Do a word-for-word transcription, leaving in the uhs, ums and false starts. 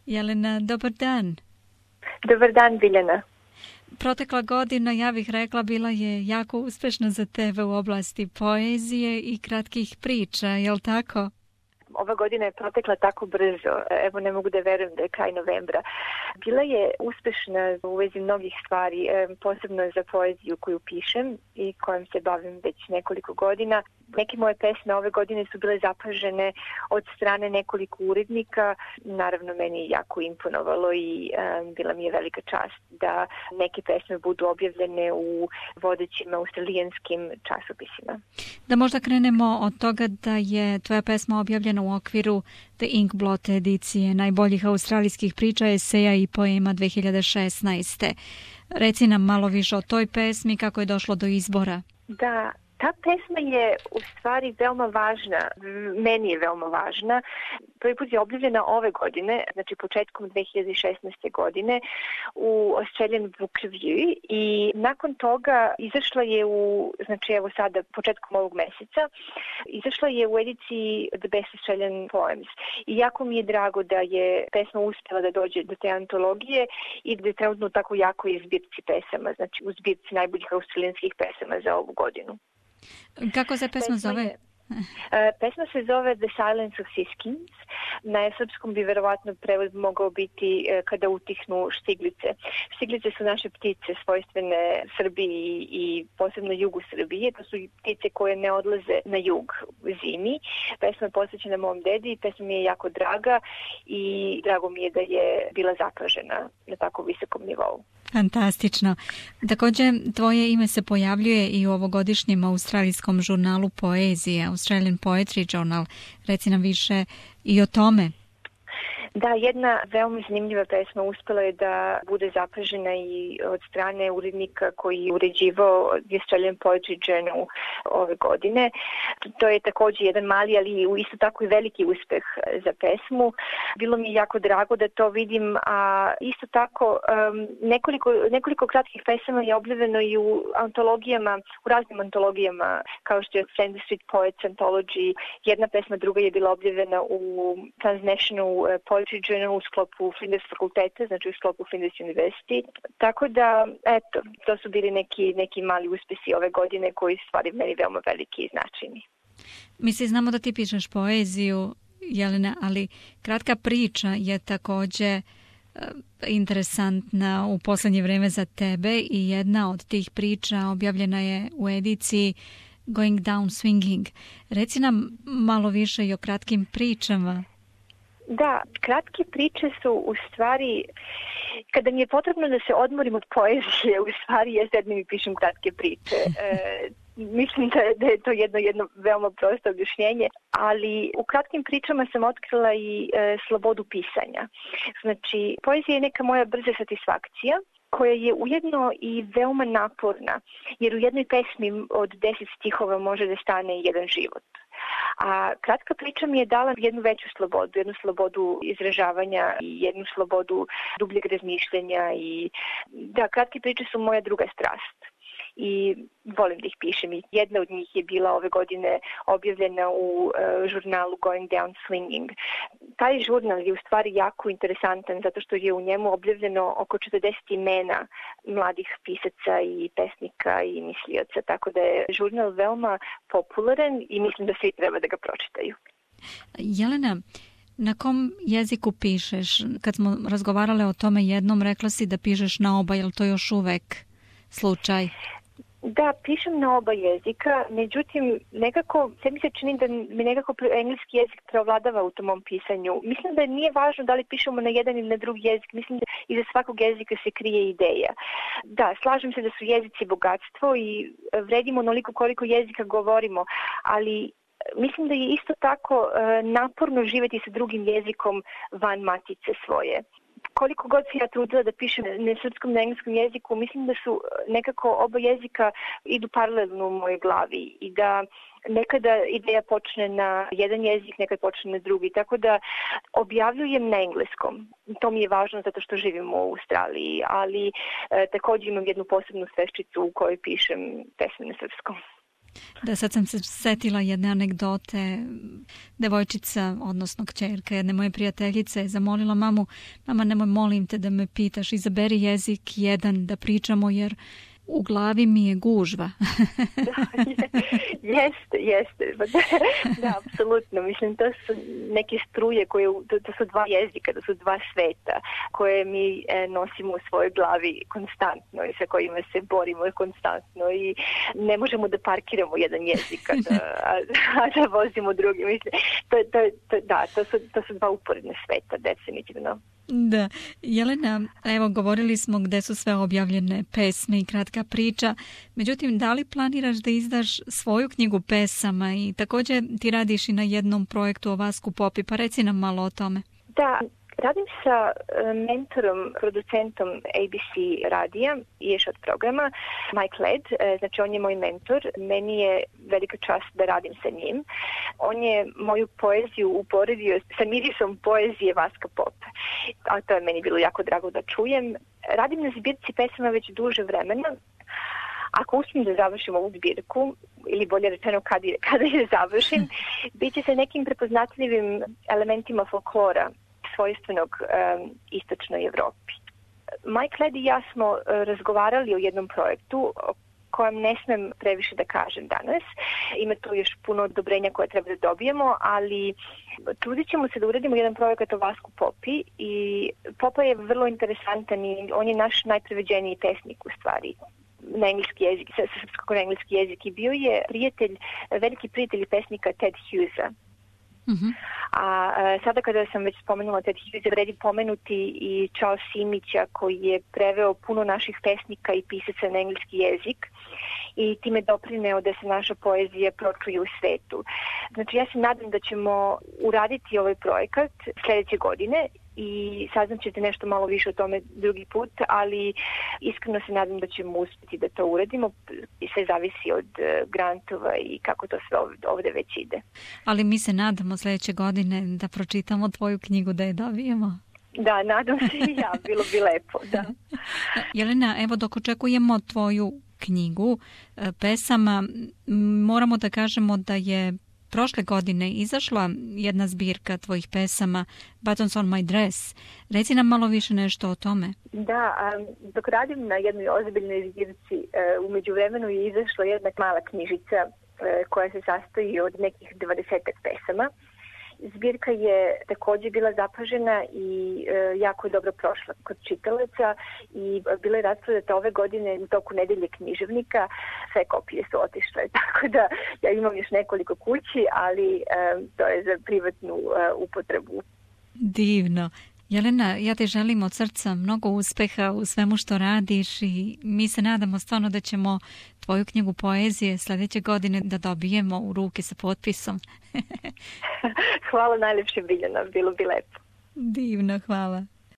Jelena, dobar dan. Dobar dan, Biljana. Protekla godina, ja bih rekla, bila je jako uspešna za tebe u oblasti poezije i kratkih priča, je li tako? Ova godina je protekla tako brzo, evo ne mogu da verujem da je kraj novembra. Bila je uspešna u vezi mnogih stvari, posebno za poeziju koju pišem i kojom se bavim već nekoliko godina. Neke moje pesme ove godine su bile zapažene od strane nekoliko urednika. Naravno, meni je jako imponovalo i um, bila mi je velika čast da neke pesme budu objavljene u vodećim australijanskim časopisima. Da možda krenemo od toga da je tvoja pesma objavljena u okviru The Inkblot edicije najboljih australijskih priča, eseja i poema dve hiljade šesnaeste. Reci nam malo više o toj pesmi, kako je došlo do izbora. Da, ta pesma je u stvari veoma važna, meni je veoma važna. Prvi put je objavljena ove godine, znači početkom dve hiljade šesnaeste. godine u Australian Book Review i nakon toga izašla je u, znači evo sada početkom ovog meseca, izašla je u ediciji The Best Australian Poems. I jako mi je drago da je pesma uspjela da dođe do te antologije i da je trenutno tako jako je zbirci pesama, znači u zbirci najboljih australijanskih pesama za ovu godinu. Kako se pesma, pesma zove? Je, uh, pesma se zove The Silence of Siskins. Na srpskom bi verovatno prevod mogao biti uh, Kada utihnu štiglice. Štiglice su naše ptice svojstvene Srbiji i posebno jugu Srbije. To su ptice koje ne odlaze na jug u zimi. Pesma je posvećena mom dedi i pesma mi je jako draga i drago mi je da je bila zapažena na tako visokom nivou. Fantastično. Također, tvoje ime se pojavljuje i u ovogodišnjem australijskom žurnalu poezije, Australian Poetry Journal. Reci nam više i o tome. Da, jedna veoma zanimljiva pesma uspela je da bude zapažena i od strane urednika koji je uređivao The Australian Poetry Journal ove godine. To je također jedan mali, ali isto tako i veliki uspeh za pesmu. Bilo mi je jako drago da to vidim, a isto tako um, nekoliko, nekoliko kratkih pesama je objavljeno i u antologijama, u raznim antologijama, kao što je Flinders Street Poets Anthology. Jedna pesma druga je bila objavljena u Transnational Poetry Journal u sklopu Flinders fakulteta, znači u sklopu Flinders University. Tako da, eto, to su bili neki, neki mali uspesi ove godine koji su stvari meni veoma veliki i značajni. Mi se znamo da ti pišeš poeziju, Jelena, ali kratka priča je također uh, interesantna u posljednje vrijeme za tebe i jedna od tih priča objavljena je u ediciji Going Down Swinging. Reci nam malo više i o kratkim pričama. Da, kratke priče su u stvari, kada mi je potrebno da se odmorim od poezije, u stvari ja sednem i pišem kratke priče. E, mislim da, da je to jedno, jedno veoma prosto objašnjenje, ali u kratkim pričama sam otkrila i e, slobodu pisanja. Znači, poezija je neka moja brza satisfakcija, koja je ujedno i veoma naporna, jer u jednoj pesmi od deset stihova može da stane jedan život. A kratka priča mi je dala jednu veću slobodu, jednu slobodu izražavanja i jednu slobodu dubljeg razmišljenja i da, kratke priče su moja druga strast i volim da ih pišem. I jedna od njih je bila ove godine objavljena u uh, žurnalu Going Down Swinging. Taj žurnal je u stvari jako interesantan zato što je u njemu objavljeno oko četrdeset imena mladih pisaca i pesnika i mislioca, tako da je žurnal veoma popularan i mislim da svi treba da ga pročitaju. Jelena, na kom jeziku pišeš? Kad smo razgovarale o tome jednom, rekla si da pišeš na oba, je li to još uvek slučaj? Da, pišem na oba jezika, međutim, nekako, sve mi se čini da mi nekako engleski jezik preovladava u tom mom pisanju. Mislim da nije važno da li pišemo na jedan ili na drugi jezik, mislim da iza svakog jezika se krije ideja. Da, slažem se da su jezici bogatstvo i vredimo onoliko koliko jezika govorimo, ali mislim da je isto tako naporno živjeti sa drugim jezikom van matice svoje. Koliko god se ja trudila da pišem na srpskom, na engleskom jeziku, mislim da su nekako oba jezika idu paralelno u mojoj glavi i da nekada ideja počne na jedan jezik, nekad počne na drugi. Tako da objavljujem na engleskom. To mi je važno zato što živim u Australiji, ali e, također imam jednu posebnu sveščicu u kojoj pišem pesme na srpskom. Da, sad sam se setila jedne anegdote. Devojčica, odnosno kćerka jedne moje prijateljice je zamolila mamu, mama, nemoj, molim te da me pitaš, izaberi jezik jedan da pričamo jer u glavi mi je gužva. Da, jeste, jeste. Da, apsolutno. Mislim, to su neke struje koje, to, to su dva jezika, to su dva sveta koje mi e, nosimo u svojoj glavi konstantno i sa kojima se borimo konstantno i ne možemo da parkiramo jedan jezik, a da, a, a da vozimo drugi. Mislim, to, to, to, da, to su, to su dva uporedne sveta, definitivno. Da. Jelena, evo govorili smo gde su sve objavljene pesme i kratka priča. Međutim, da li planiraš da izdaš svoju knjigu pesama i također ti radiš i na jednom projektu o Vasku Popi, pa reci nam malo o tome. Da, radim sa mentorom, producentom A B C radija i još od programa, Mike Led, znači on je moj mentor, meni je velika čast da radim sa njim. On je moju poeziju uporedio sa mirisom poezije Vaska Pope, a to je meni bilo jako drago da čujem. Radim na zbirci pesama već duže vremena. Ako uspijem da završim ovu zbirku, ili bolje rečeno kada je, kada je završim, bit će sa nekim prepoznatljivim elementima folklora svojstvenog um, istočnoj Evropi. Mike Led i ja smo uh, razgovarali o jednom projektu o kojem ne smem previše da kažem danas. Ima tu još puno odobrenja koje treba da dobijemo, ali trudit ćemo se da uradimo jedan projekat o Vasku Popi i Popa je vrlo interesantan i on je naš najpreveđeniji pesnik u stvari na engleski jezik, sa srpskog na engleski jezik i bio je prijatelj, veliki prijatelj pesnika Ted Hughesa. Mm-hmm. A, a sada kada sam već spomenula Ted Hughes, vredi pomenuti i Charles Simića koji je preveo puno naših pesnika i pisaca na engleski jezik i time doprineo da se naša poezija pročuje u svetu. Znači ja se nadam da ćemo uraditi ovaj projekat sljedeće godine i saznat ćete nešto malo više o tome drugi put, ali iskreno se nadam da ćemo uspjeti da to uradimo i sve zavisi od grantova i kako to sve ovdje već ide. Ali mi se nadamo sljedeće godine da pročitamo tvoju knjigu, da je dobijemo. Da, nadam se i ja, bilo bi lepo, da. Jelena, evo dok očekujemo tvoju knjigu pesama, moramo da kažemo da je prošle godine izašla jedna zbirka tvojih pesama, Buttons on my dress. Reci nam malo više nešto o tome. Da, um, dok radim na jednoj ozbiljnoj zbirci, uh, u međuvremenu je izašla jedna mala knjižica uh, koja se sastoji od nekih dvadesetak pesama. Zbirka je također bila zapažena i e, jako je dobro prošla kod čitalaca i bila je rasprodata ove godine u toku nedelje književnika. Sve kopije su otišle, tako da ja imam još nekoliko kući, ali e, to je za privatnu e, upotrebu. Divno. Jelena, ja te želim od srca mnogo uspeha u svemu što radiš i mi se nadamo stvarno da ćemo tvoju knjigu poezije sljedeće godine da dobijemo u ruke sa potpisom. Hvala najljepše, Biljana, bilo bi lepo. Divno, hvala.